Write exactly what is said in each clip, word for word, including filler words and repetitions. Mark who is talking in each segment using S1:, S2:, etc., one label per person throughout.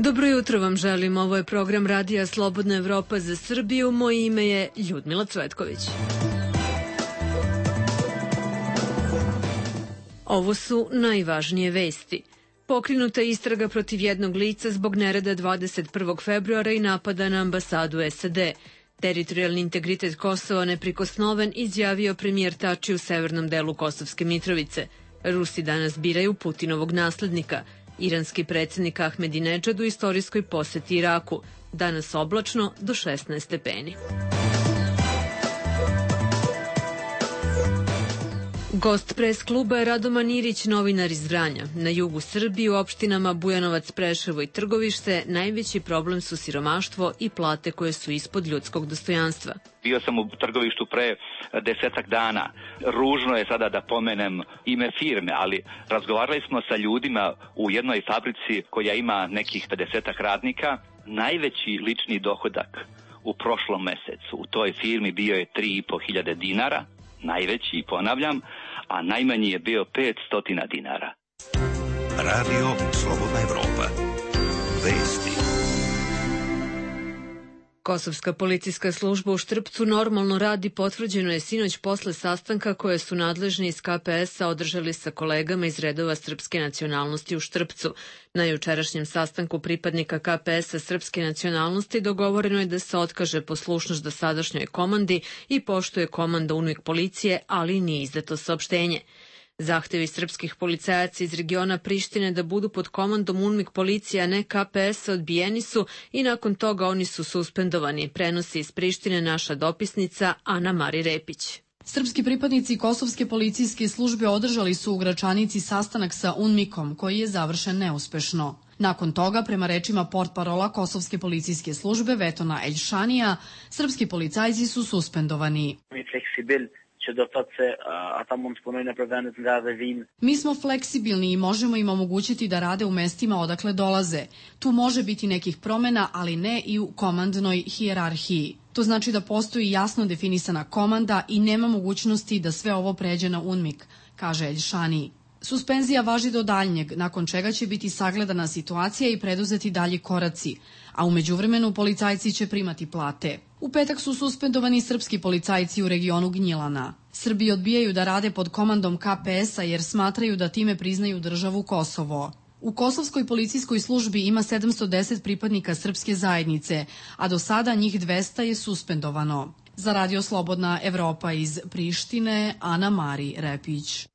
S1: Dobro jutro vam želim, ovo je program Radija Slobodna Evropa za Srbiju, moje ime je Ljudmila Cvetković. Ovo su najvažnije vesti. Pokrenuta je istraga protiv jednog lica zbog nereda dvadeset prvog februara i napada na ambasadu S A D. Teritorijalni integritet Kosova neprikosnoven, izjavio premijer Tači u severnom delu Kosovske Mitrovice. Rusi danas biraju Putinovog naslednika. Iranski predsjednik Ahmedinedžad u istorijskoj poseti Iraku. Danas oblačno do šesnaest stepeni. Gost pres kluba je Radoman Irić, novinar iz Vranja. Na jugu Srbije, u opštinama Bujanovac, Preševo i Trgovište, najveći problem su siromaštvo i plate koje su ispod ljudskog dostojanstva.
S2: Bio sam u Trgovištu pre desetak dana. Ružno je sada da pomenem ime firme, ali razgovarali smo sa ljudima u jednoj fabrici koja ima nekih pedesetak radnika. Najveći lični dohodak u prošlom mesecu u toj firmi bio je tri i po hiljade dinara, najveći, ponavljam, a najmanji je bio petsto dinara.
S3: Radio Slobodna Evropa. Vesti.
S1: Kosovska policijska služba u Štrpcu normalno radi, potvrđeno je sinoć posle sastanka koje su nadležni iz K P S-a održali sa kolegama iz redova srpske nacionalnosti u Štrpcu. Na jučerašnjem sastanku pripadnika K P S-a srpske nacionalnosti dogovoreno je da se otkaže poslušnost dosadašnjoj komandi i poštuje komanda UNMIK policije, ali nije izdato saopštenje. Zahtevi srpskih policajaca iz regiona Prištine da budu pod komandom UNMIK policije, a ne K P S-a, odbijeni su i nakon toga oni su suspendovani, prenosi iz Prištine naša dopisnica Ana Mari Repić.
S4: Srpski pripadnici Kosovske policijske službe održali su u Gračanici sastanak sa UNMIK-om, koji je završen neuspešno. Nakon toga, prema rečima portparola Kosovske policijske službe Vetona Eljšanija, srpski policajci su suspendovani. Mi smo fleksibilni i možemo im omogućiti da rade u mestima odakle dolaze. Tu može biti nekih promena, ali ne i u komandnoj hijerarhiji. To znači da postoji jasno definisana komanda i nema mogućnosti da sve ovo pređe na UNMIK, kaže Eljšani. Suspenzija važi do daljnjeg, nakon čega će biti sagledana situacija i preduzeti dalji koraci, a u međuvremenu policajci će primati plate. U petak su suspendovani srpski policajci u regionu Gnjilana. Srbi odbijaju da rade pod komandom K P S-a jer smatraju da time priznaju državu Kosovo. U Kosovskoj policijskoj službi ima sedamsto deset pripadnika srpske zajednice, a do sada njih dvesta je suspendovano. Za Radio Slobodna Evropa iz Prištine, Ana Mari Repić.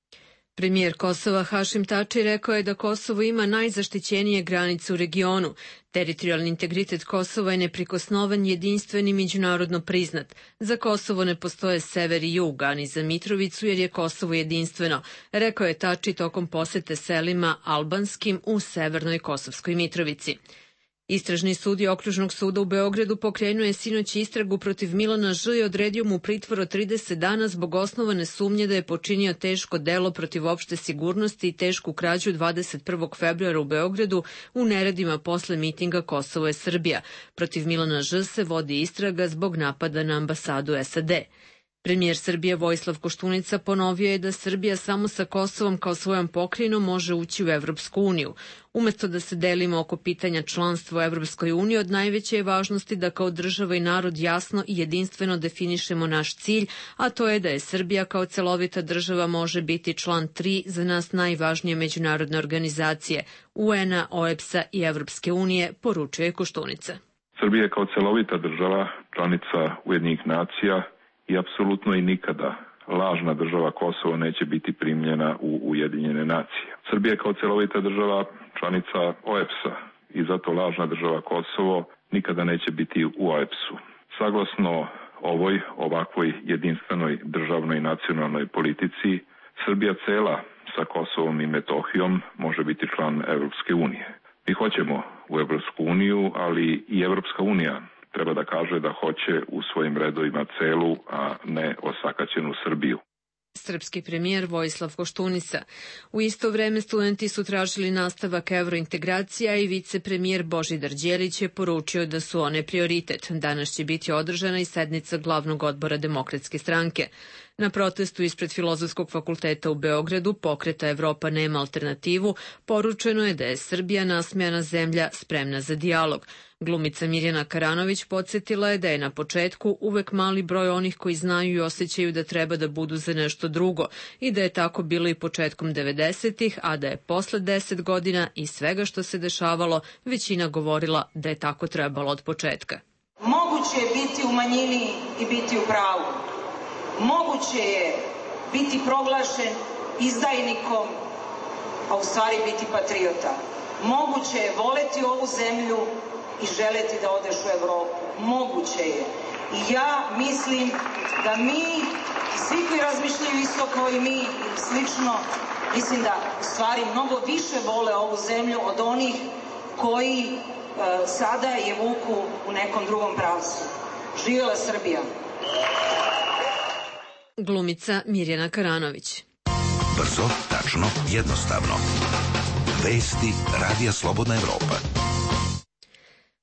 S1: Premijer Kosova Hašim Tači rekao je da Kosovo ima najzaštićenije granice u regionu. Teritorijalni integritet Kosova je neprikosnoven, jedinstven i međunarodno priznat. Za Kosovo ne postoje sever i jug, a ni za Mitrovicu jer je Kosovo jedinstveno, rekao je Tači tokom posete selima albanskim u severnoj Kosovskoj Mitrovici. Istražni sudija Okružnog suda u Beogradu pokrenuo je sinoć istragu protiv Milana Ž i odredio mu pritvor od trideset dana zbog osnovane sumnje da je počinio teško delo protiv opšte sigurnosti i tešku krađu dvadeset prvog februara u Beogradu u neredima posle mitinga Kosovo je Srbija. Protiv Milana Ž se vodi istraga zbog napada na ambasadu S A D. Premijer Srbije Vojislav Koštunica ponovio je da Srbija samo sa Kosovom kao svojom pokrajinom može ući u Evropsku uniju. Umesto da se delimo oko pitanja članstva u Evropskoj uniji, od najveće je važnosti da kao država i narod jasno i jedinstveno definišemo naš cilj, a to je da je Srbija kao celovita država može biti član tri za nas najvažnije međunarodne organizacije U N-a, O E B S-a i Evropske unije, poručio je Koštunica.
S5: Srbija kao celovita država, članica Ujedinjenih nacija, i apsolutno i nikada lažna država Kosovo neće biti primljena u Ujedinjene nacije. Srbija kao celovita država, članica O E B S-a i zato lažna država Kosovo nikada neće biti u O E B S-u. Saglasno ovoj ovakvoj jedinstvenoj državnoj i nacionalnoj politici, Srbija cela sa Kosovom i Metohijom može biti član Evropske unije. Mi hoćemo u Evropsku uniju, ali i Evropska unija treba da kaže da hoće u svojim redovima celu, a ne osakaćenu Srbiju.
S1: Srpski premijer Vojislav Koštunica. U isto vreme studenti su tražili nastavak evrointegracija i vicepremijer Božidar Đelić je poručio da su one prioritet. Danas će biti održana i sednica glavnog odbora Demokratske stranke. Na protestu ispred Filozofskog fakulteta u Beogradu, pokreta Evropa nema alternativu, poručeno je da je Srbija nasmejana zemlja spremna za dijalog. Glumica Mirjana Karanović podsjetila je da je na početku uvek mali broj onih koji znaju i osjećaju da treba da budu za nešto drugo i da je tako bilo i početkom devedesetih, a da je posle deset godina i svega što se dešavalo većina govorila da je tako trebalo od početka.
S6: Moguće je biti u manjini i biti u pravu. Moguće je biti proglašen izdajnikom, a u stvari biti patriota. Moguće je voleti ovu zemlju i želeti da odeš u Evropu. Moguće je. I ja mislim da mi, svi koji razmišljaju isto kao i mi, slično, mislim da u stvari mnogo više vole ovu zemlju od onih koji e, sada je vuku u nekom drugom pravcu. Živjela Srbija.
S1: Glumica Mirjana Karanović.
S3: Brzo, tačno, jednostavno. Vesti Radija Slobodna Evropa.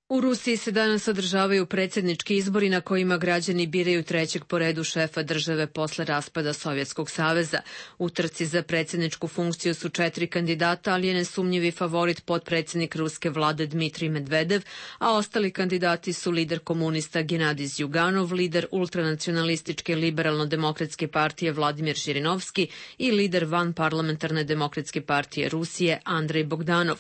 S1: U Rusiji se danas održavaju predsjednički izbori na kojima građani biraju trećeg po redu šefa države posle raspada Sovjetskog saveza. U trci za predsjedničku funkciju su četiri kandidata, ali je nesumnjivi favorit potpredsjednik ruske vlade Dmitrij Medvedev, a ostali kandidati su lider komunista Genadij Zjuganov, lider ultranacionalističke liberalno-demokratske partije Vladimir Žirinovski i lider vanparlamentarne demokratske partije Rusije Andrej Bogdanov.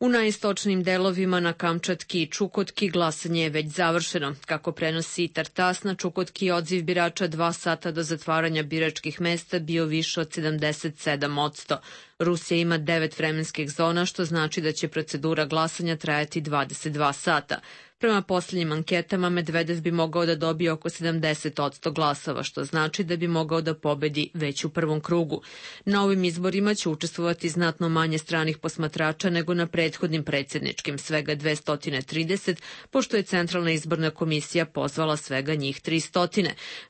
S1: U najistočnim delovima na Kamčatki i Čukotki glasanje je već završeno. Kako prenosi Tartas, na Čukotki odziv birača dva sata do zatvaranja biračkih mesta bio više od sedamdeset sedam posto. Rusija ima devet vremenskih zona, što znači da će procedura glasanja trajati dvadeset dva sata. Prema posljednjim anketama, Medvedev bi mogao da dobije oko sedamdeset posto glasova, što znači da bi mogao da pobedi već u prvom krugu. Na ovim izborima će učestvovati znatno manje stranih posmatrača nego na prethodnim predsjedničkim, svega dvesta trideset, pošto je Centralna izborna komisija pozvala svega njih tristo.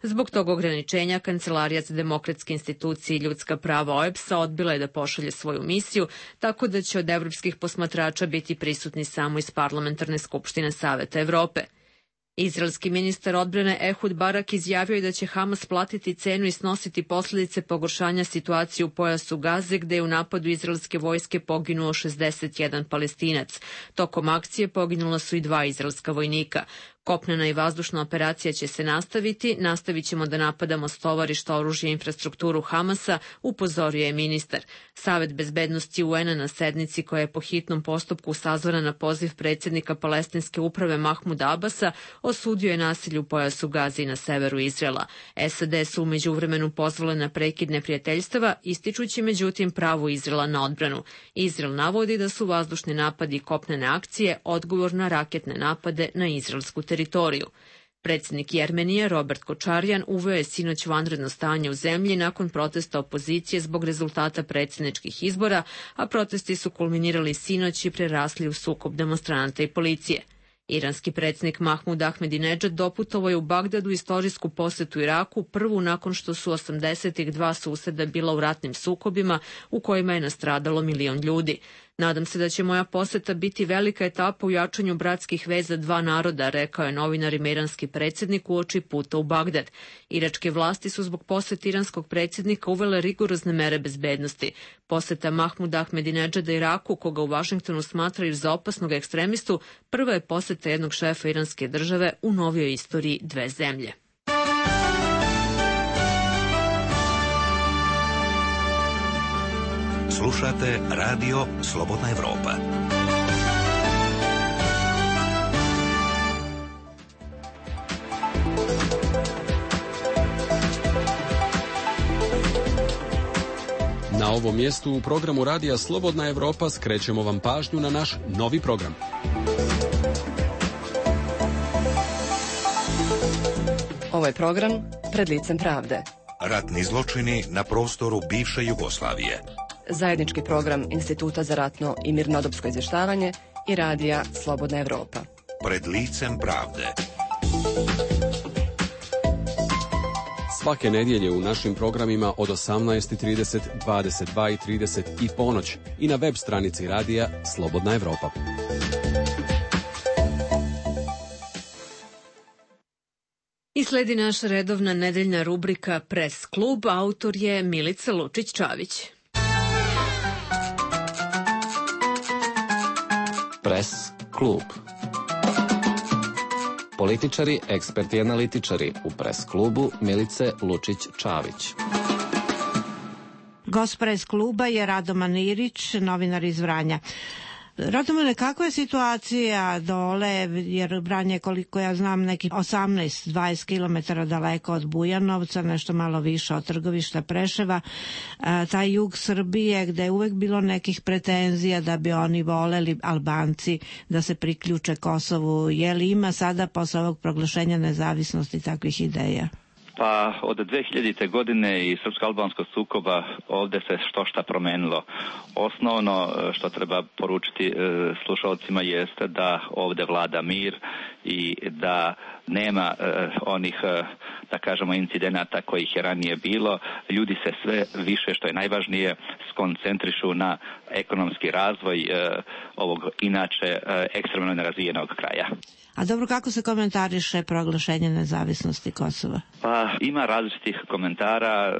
S1: Zbog tog ograničenja, Kancelarija za demokratske institucije i ljudska prava O E B S-a odbila je da pošalje svoju misiju, tako da će od evropskih posmatrača biti prisutni samo iz Parlamentarne skupštine Saveta Evrope. Izraelski ministar odbrane Ehud Barak izjavio je da će Hamas platiti cenu i snositi posljedice pogoršanja situacije u pojasu Gaze, gde je u napadu izraelske vojske poginuo šezdeset jedan Palestinac. Tokom akcije poginula su i dva izraelska vojnika. Kopnena i vazdušna operacija će se nastaviti, nastavit ćemo da napadamo stovarišta, oružje i infrastrukturu Hamasa, upozorio je ministar. Savet bezbednosti U N-a na sednici koja je po hitnom postupku sazvana na poziv predsjednika palestinske uprave Mahmuda Abasa osudio je nasilje u pojasu Gaze i na severu Izraela. S A D su u međuvremenu pozvale na prekid neprijateljstava, ističući međutim pravo Izraela na odbranu. Izrael navodi da su vazdušni napadi i kopnene akcije odgovor na raketne napade na izraelsku teritoriju. teritoriju. Predsjednik Jermenije Robert Kočarjan uveo je sinoć vanredno stanje u zemlji nakon protesta opozicije zbog rezultata predsjedničkih izbora, a protesti su kulminirali sinoć i prerasli u sukob demonstranata i policije. Iranski predsjednik Mahmud Ahmedinedžad doputovao je u Bagdadu istorijsku posetu Iraku, prvu nakon što su osamdesetih dva suseda bila u ratnim sukobima u kojima je nastradalo milion ljudi. Nadam se da će moja poseta biti velika etapa u jačanju bratskih veza dva naroda, rekao je novinar i iranski predsjednik uoči puta u Bagdad. Iračke vlasti su zbog posete iranskog predsjednika uvele rigorozne mere bezbednosti. Poseta Mahmuda Ahmedinedžada Iraku, koga u Vašingtonu smatraju za opasnog ekstremistu, prva je poseta jednog šefa iranske države u novijoj istoriji dve zemlje.
S3: Slušate Radio Slobodna Evropa.
S7: Na ovom mjestu u programu Radija Slobodna Evropa skrećemo vam pažnju na naš novi program.
S8: Ovo je program Pred licem pravde.
S3: Ratni zločini na prostoru bivše Jugoslavije.
S8: Zajednički program Instituta za ratno i mirnodopsko izvještavanje i Radija Slobodna Evropa.
S3: Pred licem pravde.
S7: Svake nedjelje u našim programima od osamnaest i trideset, dvadeset dva i trideset i ponoć i na web stranici Radija Slobodna Evropa.
S1: I Sledi naša redovna nedeljna rubrika Pres klub, autor je Milica Lučić-Čavić.
S9: Pres klub. Političari, eksperti i analitičari u Pres klubu Milice Lučić-Čavić.
S10: Gost Pres kluba je Radoman Irić, novinar iz Vranja. Radomane, kakva je situacija dole, jer Vranje je, koliko ja znam, neki osamnaest do dvadeset kilometara daleko od Bujanovca, nešto malo više od Trgovišta Preševa, a, taj jug Srbije gde je uvek bilo nekih pretenzija da bi oni voleli, Albanci, da se priključe Kosovu. Je li ima sada posle ovog proglašenja nezavisnosti takvih ideja?
S2: Pa od dve hiljadite godine i srpsko-albanskog sukoba ovde se što šta promenilo. Osnovno što treba poručiti slušalcima jeste da ovde vlada mir i da nema eh, onih, eh, da kažemo, incidenata kojih je ranije bilo. Ljudi se sve više, što je najvažnije, skoncentrišu na ekonomski razvoj eh, ovog inače eh, ekstremno nerazvijenog kraja.
S10: A dobro, kako se komentariše proglašenje nezavisnosti Kosova?
S2: Pa ima različitih komentara.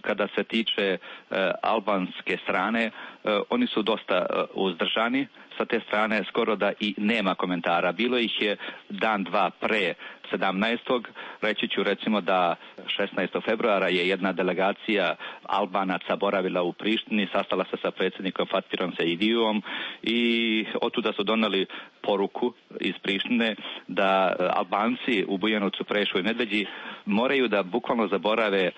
S2: Kada se tiče albanske strane, oni su dosta uzdržani. Sa te strane skoro da i nema komentara. Bilo ih je dan, dva pre sedamnaestog Reći ću recimo da šesnaestog februara je jedna delegacija Albanaca boravila u Prištini, sastala se sa predsjednikom Fatirom Sejdijom i otuda su doneli poruku iz Prištine da Albanci u Bujanovcu, Preševu i Medveđi moraju da bukvalno zaborave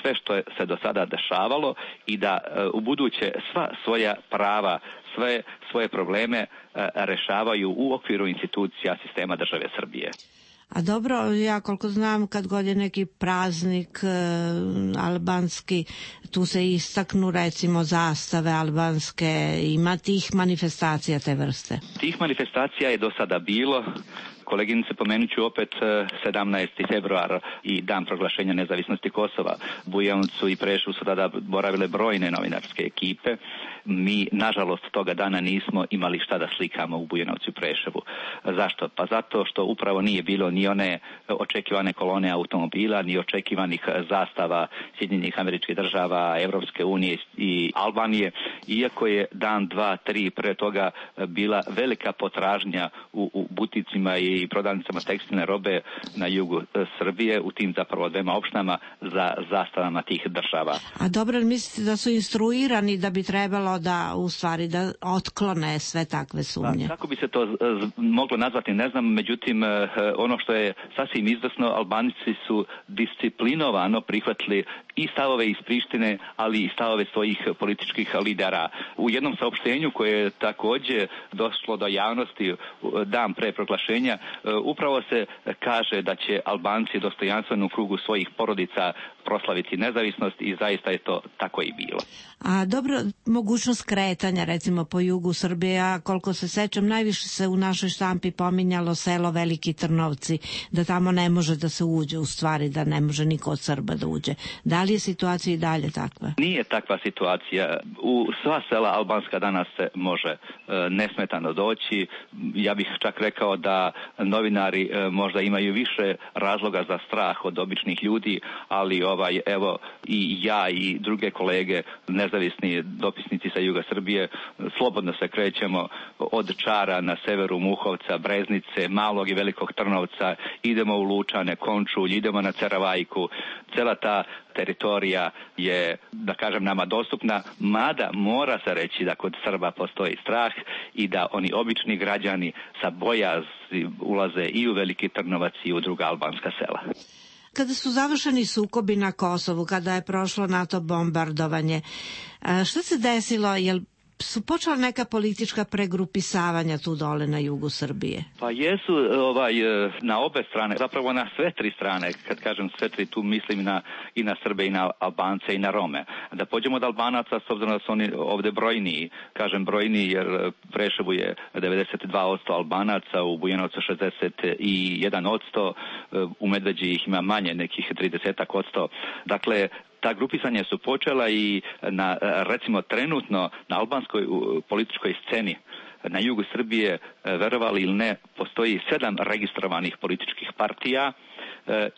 S2: sve što je se do sada dešavalo i da u buduće sva svoja prava, sve svoje probleme rešavaju u okviru institucija sistema države Srbije.
S10: A dobro, ja koliko znam, kad god je neki praznik e, albanski, tu se istaknu recimo zastave albanske, ima tih manifestacija te vrste?
S2: Tih manifestacija je do sada bilo. Koleginice, pomenut ću opet sedamnaesti februar i dan proglašenja nezavisnosti Kosova. Bujanovcu i Preševu su tada boravile brojne novinarske ekipe. Mi, nažalost, toga dana nismo imali šta da slikamo u Bujanovcu i Preševu. Zašto? Pa zato što upravo nije bilo ni one očekivane kolone automobila, ni očekivanih zastava Sjedinjenih Američkih Država, Evropske unije i Albanije, iako je dan, dva, tri pre toga bila velika potražnja u, u buticima i i prodavnicama tekstilne robe na jugu Srbije, u tim zapravo dvema opštinama, za zastavama tih država.
S10: A dobro, mislite da su instruirani da bi trebalo da, u stvari, da otklone sve takve sumnje?
S2: Pa, kako bi se to moglo nazvati, ne znam, međutim, ono što je sasvim izvesno, Albanici su disciplinovano prihvatili i stavove iz Prištine, ali i stavove svojih političkih lidera. U jednom saopštenju koje je takođe došlo do javnosti dan pre proglašenja, upravo se kaže da će Albanci dostojanstveno u krugu svojih porodica proslaviti nezavisnost i zaista je to tako i bilo.
S10: A dobro, mogućnost kretanja recimo po jugu Srbije, a koliko se sećam, najviše se u našoj štampi pominjalo selo Veliki Trnovci, da tamo ne može da se uđe, u stvari da ne može niko od Srba da uđe. Da li je situacija i dalje takva?
S2: Nije takva situacija. U sva sela albanska danas se može e, nesmetano doći. Ja bih čak rekao da novinari e, možda imaju više razloga za strah od običnih ljudi, ali ovaj, evo, i ja i druge kolege, nezavisni dopisnici sa juga Srbije, slobodno se krećemo od Čara na severu Muhovca, Breznice, Malog i Velikog Trnovca, idemo u Lučane, Končulj, idemo na Ceravajku. Cela ta teritorija je, da kažem, nama dostupna, mada mora se reći da kod Srba postoji strah i da oni obični građani sa bojazni ulaze i u Veliki Trnovac i u druga albanska sela.
S10: Kada su završeni sukobi na Kosovu, kada je prošlo NATO bombardovanje, šta se desilo? Jel su počela neka politička pregrupisavanja tu dole na jugu Srbije?
S2: Pa jesu ovaj, na obe strane, zapravo na sve tri strane. Kad kažem sve tri, tu mislim na, i na Srbe i na Albance i na Rome. Da pođemo od Albanaca, s obzirom da su oni ovde brojniji, kažem brojniji jer Preševu je devedeset dva posto Albanaca, u Bujanovcu šezdeset jedan posto, u Medveđi ih ima manje, nekih trideset posto. Dakle, ta grupisanja su počela i na, recimo trenutno na albanskoj političkoj sceni na jugu Srbije, verovali ili ne, postoji sedam registrovanih političkih partija.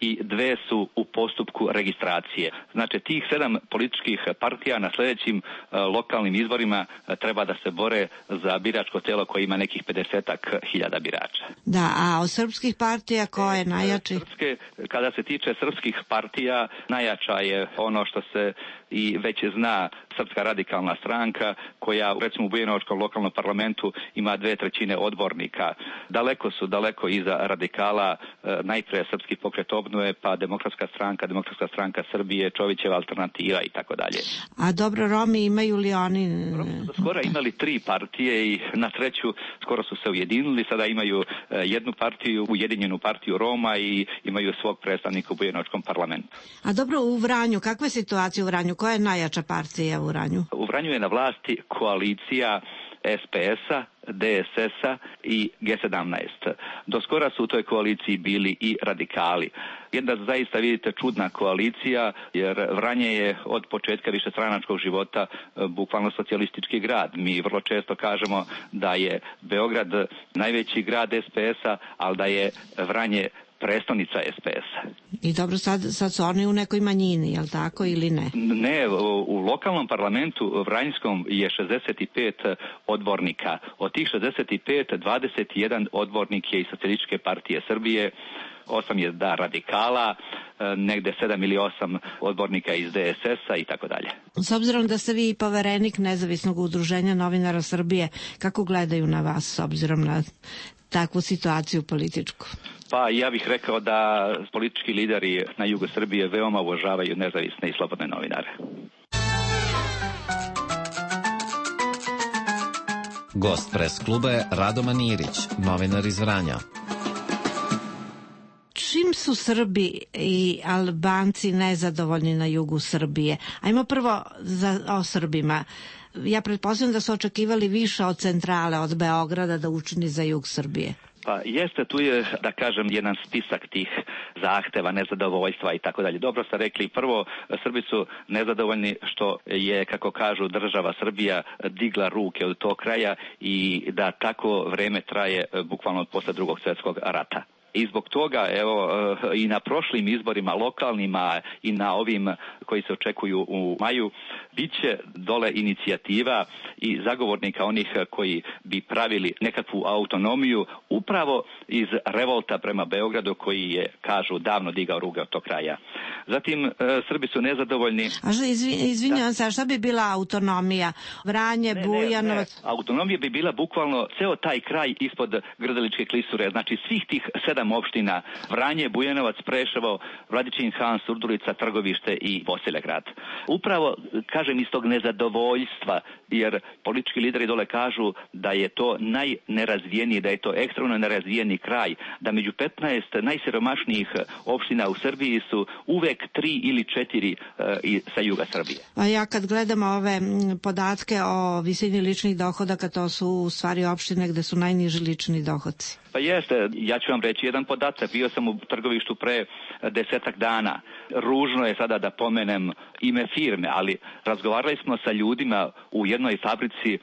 S2: i dve su u postupku registracije. Znači tih sedam političkih partija na sljedećim lokalnim izborima treba da se bore za biračko telo koje ima nekih pedesetak hiljada birača.
S10: Da, a od srpskih partija ko je najjači?
S2: Srpske, kada se tiče srpskih partija, najjača je ono što se i već zna, Srpska radikalna stranka, koja recimo u Bujanovačkom lokalnom parlamentu ima dve trećine odbornika. Daleko su, daleko iza radikala, najprije Srpski pokret obnove, pa Demokratska stranka, Demokratska stranka Srbije, Čovićeva alternativa i tako dalje.
S10: A dobro, Romi imaju li oni?
S2: Romi su skoro imali tri partije i na treću skoro su se ujedinili, sada imaju jednu partiju, ujedinjenu partiju Roma i imaju svog predstavnika u Bujanovačkom parlamentu.
S10: A dobro, u Vranju, kakva je situacija u Vranju? Koja je najjača partija u Vranju?
S2: U Vranju je na vlasti koalicija S P S-a, D S S-a i G sedamnaest. Do skora su u toj koaliciji bili i radikali. Jedna zaista, vidite, čudna koalicija, jer Vranje je od početka višestranačkog života bukvalno socijalistički grad. Mi vrlo često kažemo da je Beograd najveći grad S P S-a, ali da je Vranje predstavnica S P S-a.
S10: I dobro, sad, sad su oni u nekoj manjini, je li tako ili ne?
S2: Ne, u, u lokalnom parlamentu Vranjskom je šezdeset pet odbornika. Od tih šezdeset pet, dvadeset jedan odbornik je iz Socijalističke partije Srbije, osam je da radikala, negde sedam ili osam odbornika iz D S S-a i tako dalje.
S10: S obzirom da ste vi poverenik Nezavisnog udruženja novinara Srbije, kako gledaju na vas s obzirom na takvu situaciju političku?
S2: Pa ja bih rekao da politički lideri na jugu Srbije veoma uvažavaju nezavisne i slobodne novinare.
S9: Gost pres kluba je Rado Manirić, novinar iz Vranja.
S10: Čim su Srbi i Albanci nezadovoljni na jugu Srbije? Ajmo prvo za, o Srbima. Ja pretpostavljam da su očekivali više od centrale, od Beograda da učini za jug Srbije.
S2: Pa jeste, tu je, da kažem, jedan spisak tih zahteva, nezadovoljstva i tako dalje. Dobro ste rekli, prvo, Srbi su nezadovoljni što je, kako kažu, država Srbija digla ruke od tog kraja i da tako vreme traje bukvalno od posle Drugog svjetskog rata. I zbog toga, evo, i na prošlim izborima, lokalnima i na ovim koji se očekuju u maju, bit će dole inicijativa i zagovornika onih koji bi pravili nekakvu autonomiju upravo iz revolta prema Beogradu koji je, kažu, davno digao ruke od tog kraja. Zatim, Srbi su nezadovoljni.
S10: A što, izvinjavam se, a šta bi bila autonomija? Vranje,
S2: ne,
S10: Bujanovac?
S2: Ne, ne. Autonomija bi bila bukvalno ceo taj kraj ispod Grdeličke klisure, znači svih tih sedam opština, Vranje, Bujanovac, Preševo, Vladičin Han, Surdulica, Trgovište i Bosilegrad. Upravo, kažem, iz tog nezadovoljstva, jer politički lideri dole kažu da je to najnerazvijeniji, da je to ekstremno nerazvijeni kraj, da među petnaest najsiromašnijih opština u Srbiji su uvek tri ili četiri uh, sa juga Srbije.
S10: A ja kad gledam ove podatke o visini ličnih dohodaka, to su u stvari opštine gde su najniži lični dohodci.
S2: Pa jeste, ja ću vam reći jedan podatak, bio sam u Trgovištu pre desetak dana. Ružno je sada da pomenem ime firme, ali razgovarali smo sa ljudima u jednoj fabrici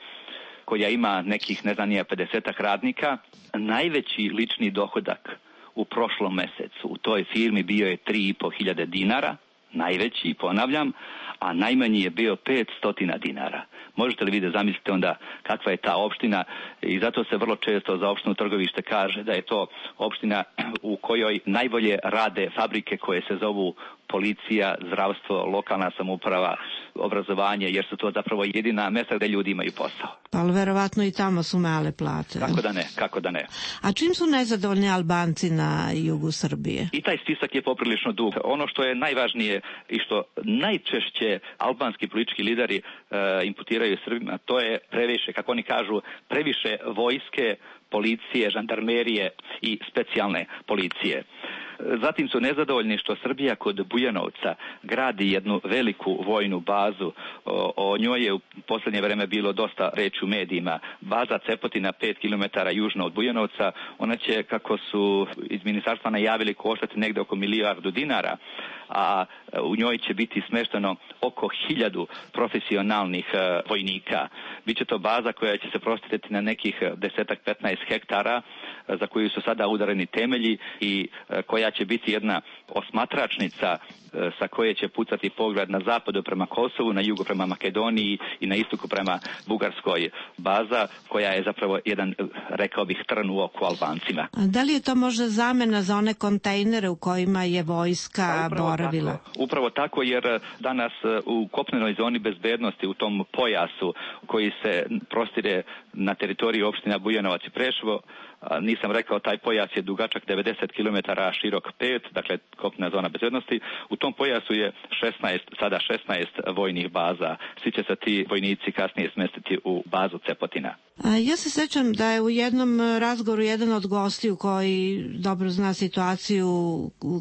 S2: koja ima nekih, ne znam, nije pedesetak radnika. Najveći lični dohodak u prošlom mesecu u toj firmi bio je tri i po hiljade dinara, najveći, ponavljam, a najmanji je bio petsto dinara. Možete li vi da zamislite onda kakva je ta opština i zato se vrlo često za opštinu Trgovište kaže da je to opština u kojoj najbolje rade fabrike koje se zovu policija, zdravstvo, lokalna samouprava, obrazovanje, jer su to zapravo jedina mesta gde ljudi imaju posao.
S10: Pa ali verovatno i tamo su male plate.
S2: Kako da ne, kako da ne.
S10: A čim su nezadovoljni Albanci na jugu Srbije?
S2: I taj spisak je poprilično dug. Ono što je najvažnije i što najčešće albanski politički lideri uh, imputiraju Srbima, to je previše, kako oni kažu, previše vojske, policije, žandarmerije i specijalne policije. Zatim su nezadovoljni što Srbija kod Bujanovca gradi jednu veliku vojnu bazu. O, o njoj je u posljednje vreme bilo dosta reči u medijima. Baza Cepotina pet kilometara južno od Bujanovca, ona će, kako su iz ministarstva najavili, koštati negde oko milijardu dinara. a u njoj će biti smešteno oko hiljadu profesionalnih vojnika. Biće to baza koja će se prostirati na nekih desetak petnaest hektara za koju su sada udareni temelji i koja će biti jedna osmatračnica sa koje će pucati pogled na zapadu prema Kosovu, na jugu prema Makedoniji i na istoku prema Bugarskoj, baza koja je zapravo jedan, rekao bih, trn u oku Albancima.
S10: A da li je to možda zamena za one kontejnere u kojima je vojska
S2: upravo
S10: boravila?
S2: Tako, upravo tako, jer danas u kopnenoj zoni bezbednosti, u tom pojasu koji se prostire na teritoriji opština Bujanovac i Preševo, nisam rekao, taj pojas je dugačak devedeset kilometara, širok pet, dakle kopnena zona bezbednosti. U tom pojasu je šesnaest, sada šesnaest vojnih baza. Svi će se ti vojnici kasnije smestiti u bazu Cepotina.
S10: A ja se sećam da je u jednom razgovoru jedan od gostiju koji dobro zna situaciju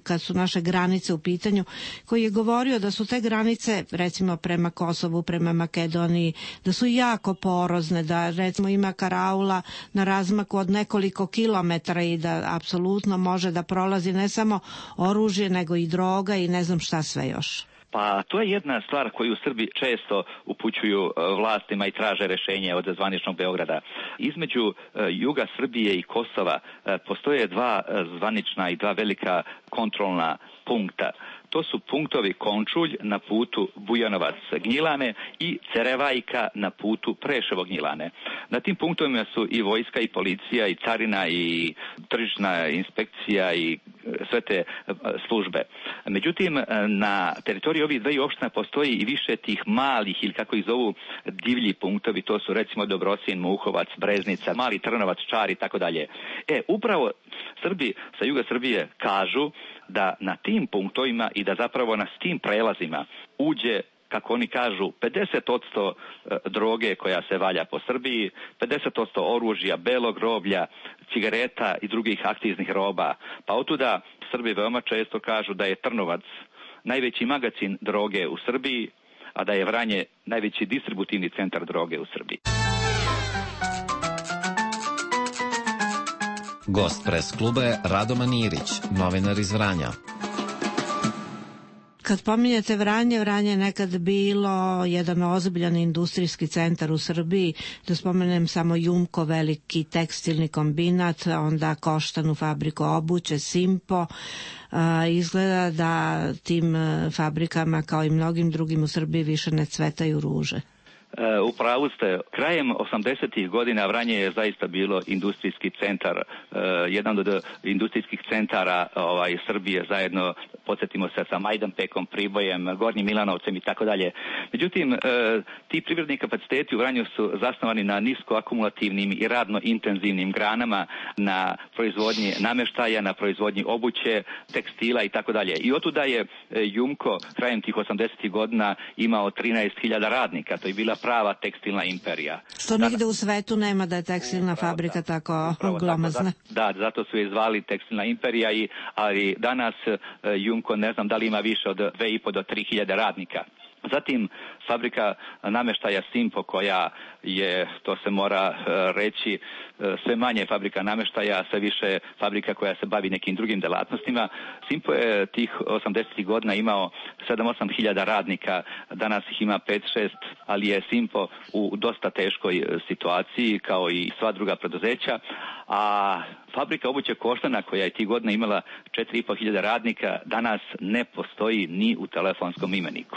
S10: kad su naše granice u pitanju, koji je govorio da su te granice, recimo prema Kosovu, prema Makedoniji, da su jako porozne, da recimo ima karaula na razmaku od nekoliko kilometara i da apsolutno može da prolazi ne samo oružje, nego i droga i ne znam šta sve još.
S2: Pa to je jedna stvar koju Srbi često upućuju vlastima i traže rešenje od zvaničnog Beograda. Između juga Srbije i Kosova postoje dva zvanična i dva velika kontrolna punkta. To su punktovi Končulj na putu Bujanovac-Gnjilane i Cerevajka na putu Preševo-Gnjilane. Na tim punktovima su i vojska i policija i carina i tržišna inspekcija i sve te službe. Međutim, na teritoriji ovih dvaju opština postoji i više tih malih ili kako ih zovu divlji punktovi. To su recimo Dobrosin, Muhovac, Breznica, Mali Trnovac, Čar i tako dalje. E, upravo Srbi sa juga Srbije kažu da na tim punktovima i da zapravo na tim prelazima uđe, kako oni kažu, pedeset posto droge koja se valja po Srbiji, pedeset posto oružja, belog roblja, cigareta i drugih akciznih roba. Pa otuda Srbi veoma često kažu da je Trnovac najveći magacin droge u Srbiji, a da je Vranje najveći distributivni centar droge u Srbiji.
S9: Gost pres kluba je Radoman Irić, novinar iz Vranja.
S10: Kad pominjete Vranje, Vranje je nekad bilo jedan ozbiljan industrijski centar u Srbiji, da spomenem samo Jumko, veliki tekstilni kombinat, onda Koštanu, fabriku obuće, Simpo. Izgleda da tim fabrikama, kao i mnogim drugim u Srbiji, više ne cvetaju ruže.
S2: U pravu ste. Krajem osamdesetih godina Vranje je zaista bilo industrijski centar, jedan od industrijskih centara ovaj, Srbije, zajedno, podsjetimo se, sa Majdanpekom, Pribojem, Gornjim Milanovcem i tako dalje. Međutim, ti privredni kapaciteti u Vranju su zasnovani na niskoakumulativnim i radno intenzivnim granama, na proizvodnji nameštaja, na proizvodnji obuće, tekstila i tako dalje. I otuda je Jumko krajem tih osamdesetih godina imao trinaest hiljada radnika. To je bila prava tekstilna imperija.
S10: Što nigde u svetu nema da je tekstilna fabrika tako glomazna.
S2: Da, zato su je zvali tekstilna imperija, i, ali danas Jumko ne znam da li ima više od dve i po do tri hiljade radnika. Zatim fabrika nameštaja Simpo, koja je, to se mora reći, sve manje fabrika nameštaja, sve više fabrika koja se bavi nekim drugim delatnostima. Simpo je tih osamdesetih godina imao sedam osam hiljada radnika, danas ih ima pet šest, ali je Simpo u dosta teškoj situaciji kao i sva druga preduzeća. A fabrika obuće Koštana, koja je tih godina imala četiri i po hiljada radnika, danas ne postoji ni u telefonskom imeniku.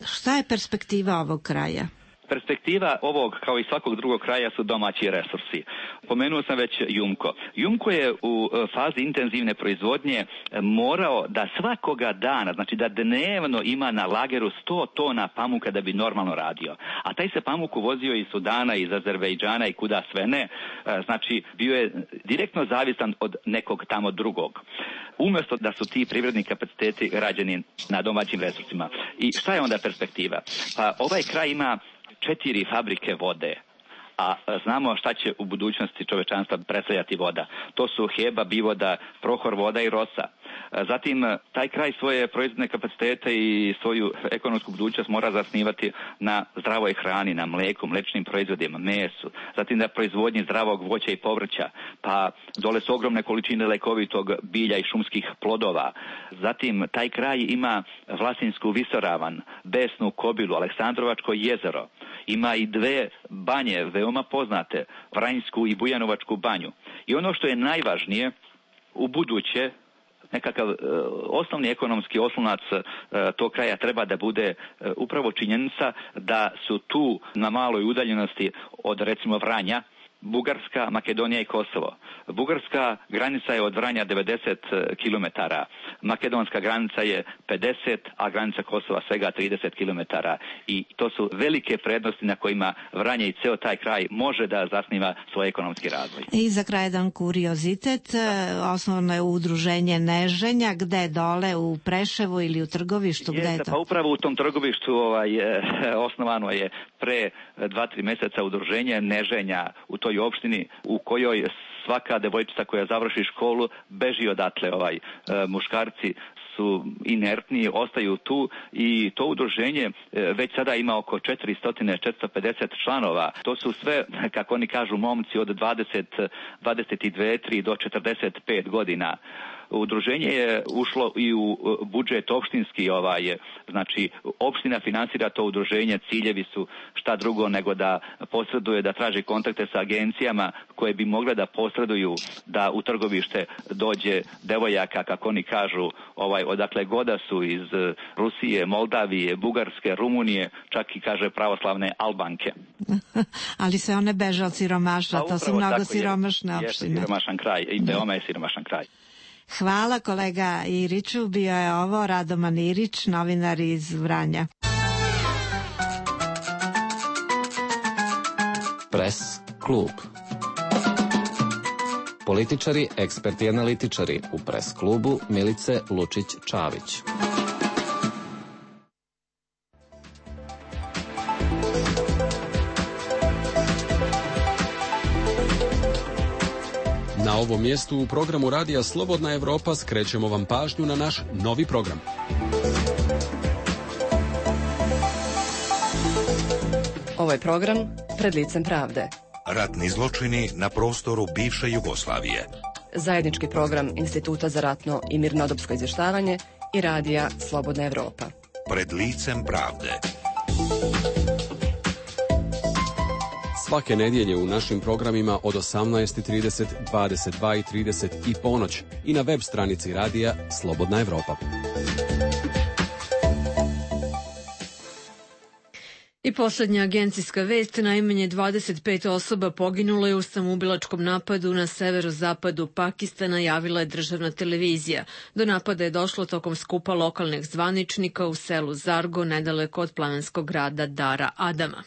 S10: Šta je perspektiva ovog kraja?
S2: Perspektiva ovog, kao i svakog drugog kraja, su domaći resursi. Pomenuo sam već Jumko. Jumko je u fazi intenzivne proizvodnje morao da svakoga dana, znači da dnevno ima na lageru sto tona pamuka da bi normalno radio. A taj se pamuk uvozio iz Sudana, iz Azerbejdžana i kuda sve ne. Znači, bio je direktno zavisan od nekog tamo drugog. Umjesto da su ti privredni kapaciteti rađeni na domaćim resursima. I šta je onda perspektiva? Pa ovaj kraj ima četiri fabrike vode, a znamo šta će u budućnosti čovečanstva predstavljati voda. To su Heba, Bivoda, Prohor voda i Rosa. Zatim, taj kraj svoje proizvodne kapacitete i svoju ekonomsku budućnost mora zasnivati na zdravoj hrani, na mleku, mlečnim proizvodima, mesu, zatim na proizvodnji zdravog voća i povrća, pa dole su ogromne količine lekovitog bilja i šumskih plodova. Zatim, taj kraj ima Vlasinsku visoravan, Besnu kobilu, Aleksandrovačko jezero. Ima i dve banje, veoma poznate, Vranjsku i Bujanovačku banju. I ono što je najvažnije, u buduće, nekakav e, osnovni ekonomski oslonac e, tog kraja treba da bude e, upravo činjenica da su tu na maloj udaljenosti od, recimo, Vranja, Bugarska, Makedonija i Kosovo. Bugarska granica je od Vranja devedeset kilometara, makedonska granica je pedeset, a granica Kosova svega trideset kilometara. I to su velike prednosti na kojima Vranje i ceo taj kraj može da zasniva svoj ekonomski razvoj.
S10: I za kraj jedan kuriozitet, osnovno je udruženje Neženja, gde dole u Preševu ili u Trgovištu, gde je to?
S2: Pa upravo u tom Trgovištu ovaj, osnovano je pre dva, tri meseca udruženje Neženja u toj opštini u kojoj svaka devojčica koja završi školu beži odatle, ovaj, muškarci su inertni, ostaju tu i to udruženje već sada ima oko četiristo do četiristo pedeset članova. To su sve, kako oni kažu, momci od dvadeset, dvadeset dve, tri do četrdeset pet godina. Udruženje je ušlo i u budžet opštinski, ovaj, znači opština finansira to udruženje, ciljevi su šta drugo nego da posreduje, da traži kontakte sa agencijama koje bi mogle da posreduju da u Trgovište dođe devojaka, kako oni kažu, ovaj, odakle goda su, iz Rusije, Moldavije, Bugarske, Rumunije, čak i kaže pravoslavne Albanke.
S10: Ali se one beže od siromaštva,
S2: pa,
S10: to su mnogo siromašne opštine.
S2: Jeste siromašan kraj i veoma je siromašan kraj.
S10: Hvala kolega Iriću, bio je ovo Radoman Irić, novinar iz Vranja.
S9: Pres klub. Političari, eksperti i analitičari u Pres klubu Milice Lučić-Čavić.
S7: Na ovom mjestu u programu radija Slobodna Evropa skrećemo vam pažnju na naš novi program.
S8: Ovo je program Pred licem pravde.
S3: Ratni zločini na prostoru bivše Jugoslavije.
S8: Zajednički program Instituta za ratno i mirnodopsko izvještavanje i radija Slobodna Evropa.
S3: Pred licem pravde.
S7: Svake nedjelje u našim programima od osamnaest i trideset, dvadeset dva i trideset i ponoć i na web stranici radija Slobodna Evropa.
S1: I posljednja agencijska vest, najmanje dvadeset pet osoba poginulo je u samoubilačkom napadu na severozapadu Pakistana, javila je državna televizija. Do napada je došlo tokom skupa lokalnih zvaničnika u selu Zargo, nedaleko od planinskog grada Dara Adama.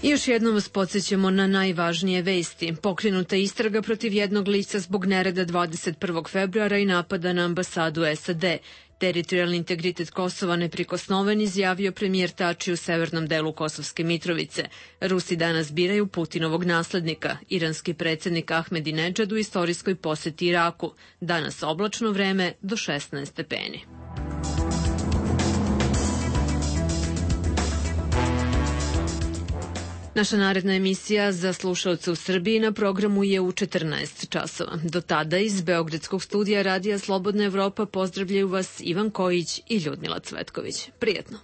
S1: I još jednom vas podsjećamo na najvažnije vesti. Pokrenuta istraga protiv jednog lica zbog nereda dvadeset prvog februara i napada na ambasadu S A D. Teritorijalni integritet Kosova neprikosnoven, izjavio premijer Tači u severnom delu Kosovske Mitrovice. Rusi danas biraju Putinovog naslednika. Iranski predsjednik Ahmedinedžad u istorijskoj posjeti Iraku. Danas oblačno vreme do šesnaest stepeni. Naša naredna emisija za slušalce u Srbiji na programu je u četrnaest časova. Do tada iz Beogradskog studija radija Slobodna Evropa pozdravljaju vas Ivan Kojić i Ljudmila Cvetković. Prijetno!